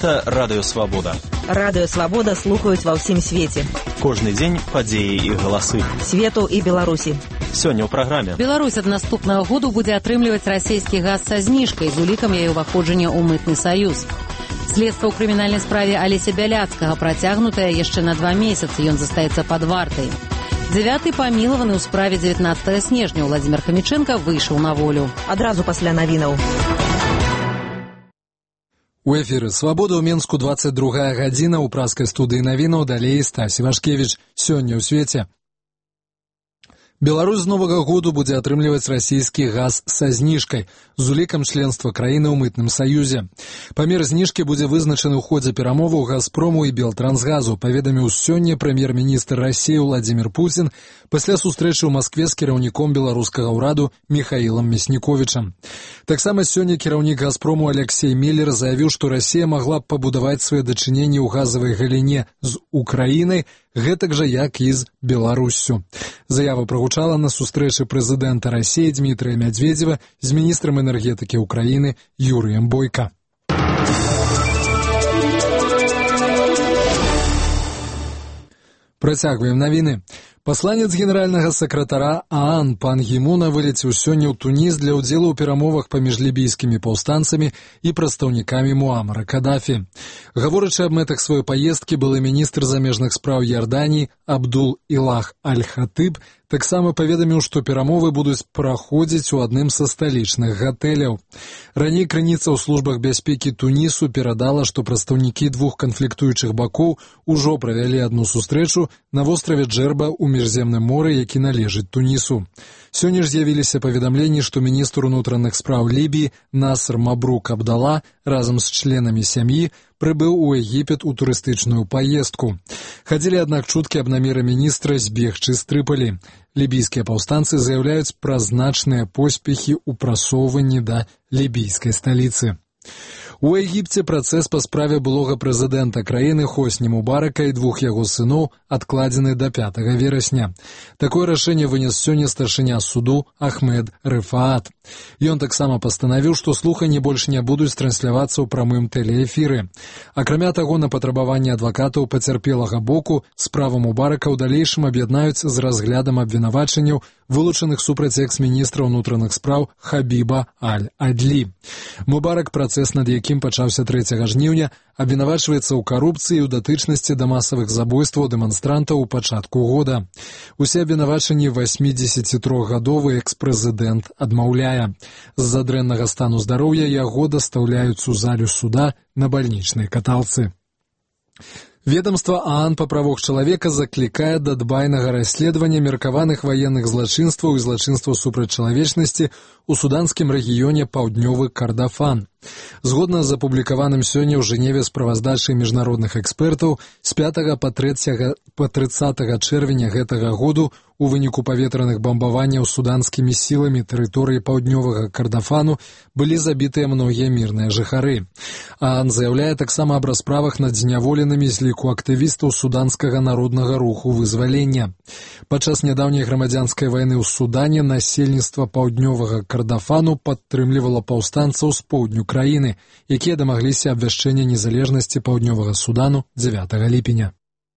Гэта Радыё Свабода. Радыё Свабода слухаюць ва ўсім свеце. Кожны дзень падзеі і галасы. Свету і Беларусі. Сёння ў праграме. Беларусь ад наступнага году будзе атрымліваць расійскі газ са зніжкай з улікам яе ўваходжання ў мытны саюз. Следства ў крымінальнай справе Алеся Бяляцкага працягнутае яшчэ на 2 месяцы. Ён застаецца пад вартай. 9-й памілаваны ў справе 19 снежня Владзімир Хамічэнка выйшаў на волю. Адразу пасля навінаў. У эфіры «Свабода» ў Менску 22 гадзіна, у праскай студыі навінаў далей Стасі Вашкевіч. Сёння ў свеце. Беларусь з новага году будзе атрымліваць расійскі газ са зніжкай з улікам членства краіны ў мытным саюзе. Памер зніжкі будзе вызначаны ў ходзе перамоваў «Газпрому» і «Белтрансгазу», паведаміў сёння прэм'ер-міністр Расіі Владзімир Путін пасля сустрэчы ў Маскве з кіраўніком беларускага ўраду Міхаілам Мясніковічам. Таксама сёння кіраўнік «Газпрому» Алексей Миллер заявіў, што Расія магла б пабудаваць свае дачыненні ў газавай галіне з Украінай, гэтак жа, як і з Беларуссю. Заява прагучала на сустрэчы прэзідэнта Расіі Дмітрыя Мядзведзева з міністрам энергетыкі Украіны Юрыем Бойка. Працягваем навіны. Пасланец генеральнага сакратара ААН пан Гімуна вылецеў сёння ў Туніс для ўдзелу ў перамовах паміж лібійскімі паўстанцамі і прадстаўнікамі Муамара Кадафі. Гаворачы аб мэтах сваёй паездкі, былы міністр замежных спраў Ярданіі Абдул-Ілах Аль-Хатыб таксама паведаміў, што перамовы будуць праходзіць у адным са сталічных гатэляў. Раней крыніца ў службах бяспекі Тунісу перадала, што прадстаўнікі двух канфліктуючых бакоў ужо правялі адну сустрэчу на востраве Джерба ў Міжземным моры, які належыць Тунісу. Сёння ж з'явіліся паведамленні, што міністр унутраных спраў Лібіі Наср Мабрук Абдала разам з членамі сям'і прыбыў у Егіпет у турыстычную паездку. Хадзілі, аднак, чуткі аб намеры міністра збегчы з Трыполі. Лібійскія паўстанцы заяўляюць пра значныя поспехі ў прасоўванні да лібійскай сталіцы. У Егіпце працэс па справе былога прэзідэнта краіны Хосні Мубарака і двух яго сыноў адкладзены да 5 верасня. Такое рашэнне вынес сёння старшыня суду Ахмед Рыфаат. Ён таксама пастанавіў, што слуханні больш не будуць транслявацца ў прамым тэлеэфіры. Акрамя таго, на патрабаванне адвакатаў пацярпелага боку справу Мубарака ў далейшым аб'яднаюць з разглядам абвінавачанняў, вылучаных супраць экс-міністра ўнутраных спраў Хабіба Аль-Адлі. Мубарак, працэс над якім пачаўся 3 жніўня, абвінавачваецца ў карупцыі і ў датычнасці да масавых забойстваў дэманстрантаў у пачатку года. Усе абвінавачанні 83-гадовы экс-прэзідэнт адмаўляе. З-за дрэннага стану здароўя яго дастаўляюць у залю суда на бальнічнай каталцы. Ведомство ААН па правах чалавека заклікае да дбайнага расследавання меркаваных ваенных злачынстваў і злачынстваў супраць чалавечнасці ў суданскім рэгіёне Паўднёвы Кардафан. Згодна з апублікаваным сёння ў Жэневе справаздачай міжнародных экспертаў, з 5 па 30 чэрвеня гэтага году у выніку паветраных бамбаванняў суданскімі сіламі тэрыторыі Паўднёвага Кардафану былі забітыя многія мірныя жыхары. ААН заяўляе таксама аб расправах над зняволенымі з ліку актывістаў суданскага народнага руху вызвалення. Падчас нядаўняй грамадзянскай вайны ў Судане насельніцтва Паўднёвага Кардафану падтрымлівала паўстанцаў з поўдню краіны, якія дамагліся абвяшчэння незалежнасці Паўднёвага Судану 9 ліпеня.